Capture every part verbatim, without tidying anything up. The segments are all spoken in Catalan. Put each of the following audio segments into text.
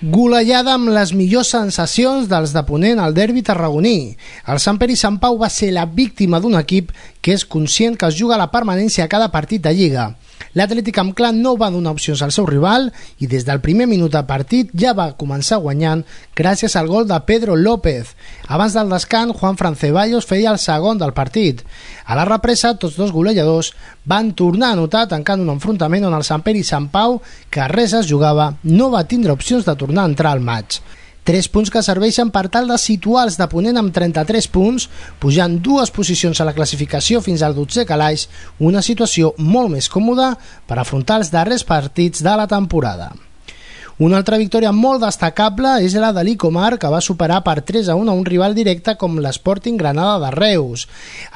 Golejada amb les millors sensacions dels de Ponent al derbi tarragoní. El Sant Pere i Sant Pau va ser la víctima d'un equip que és conscient que es juga la permanència a cada partit de Lliga. L'Atlètic amb Clan no va donar opcions al seu rival i des del primer minut de partit ja va començar guanyant gràcies al gol de Pedro López. Abans del descans, Juan Fran Ceballos feia el segon del partit. A la represa, tots dos golejadors van tornar a anotar tancant un enfrontament on el Sant Pere i Sant Pau, que res es jugava, no va tindre opcions de tornar a entrar al maig. Tres punts que serveixen per tal de situar els de Ponent amb trenta-tres punts, pujant dues posicions a la classificació fins al dotzè calaix, una situació molt més còmoda per afrontar els darrers partits de la temporada. Una altra victòria molt destacable és la de l'Icomar, que va superar per tres a un a un rival directe com l'Sporting Granada de Reus.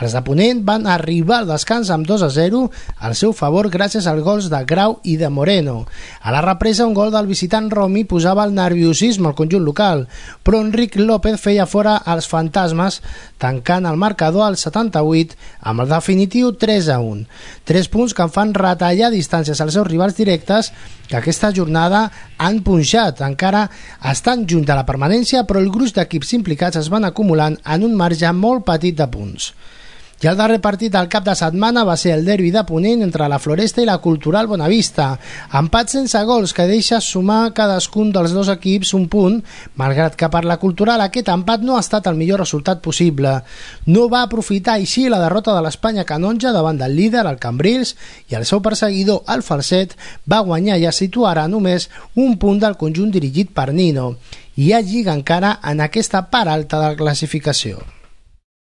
Els de Ponent van arribar al descans amb dos a zero al seu favor gràcies als gols de Grau i de Moreno. A la represa, un gol del visitant Romi posava el nerviosisme al conjunt local, però Enric López feia fora els fantasmes, tancant el marcador al setanta-vuit amb el definitiu tres a un. Tres punts que en fan retallar distàncies als seus rivals directes, que aquesta jornada han punxat, encara estan junt de la permanència, però el gruix d'equips implicats es van acumulant en un marge molt petit de punts. I el darrer partit del cap de setmana va ser el derbi de Ponent entre la Floresta i la Cultural Bonavista. Empat sense gols que deixa sumar cadascun dels dos equips un punt, malgrat que per la Cultural aquest empat no ha estat el millor resultat possible. No va aprofitar així la derrota de l'Espanya Canonja davant del líder, el Cambrils, i el seu perseguidor, el Falset, va guanyar i es situarà només un punt del conjunt dirigit per Nino. Hi ha lliga encara en aquesta part alta de la classificació.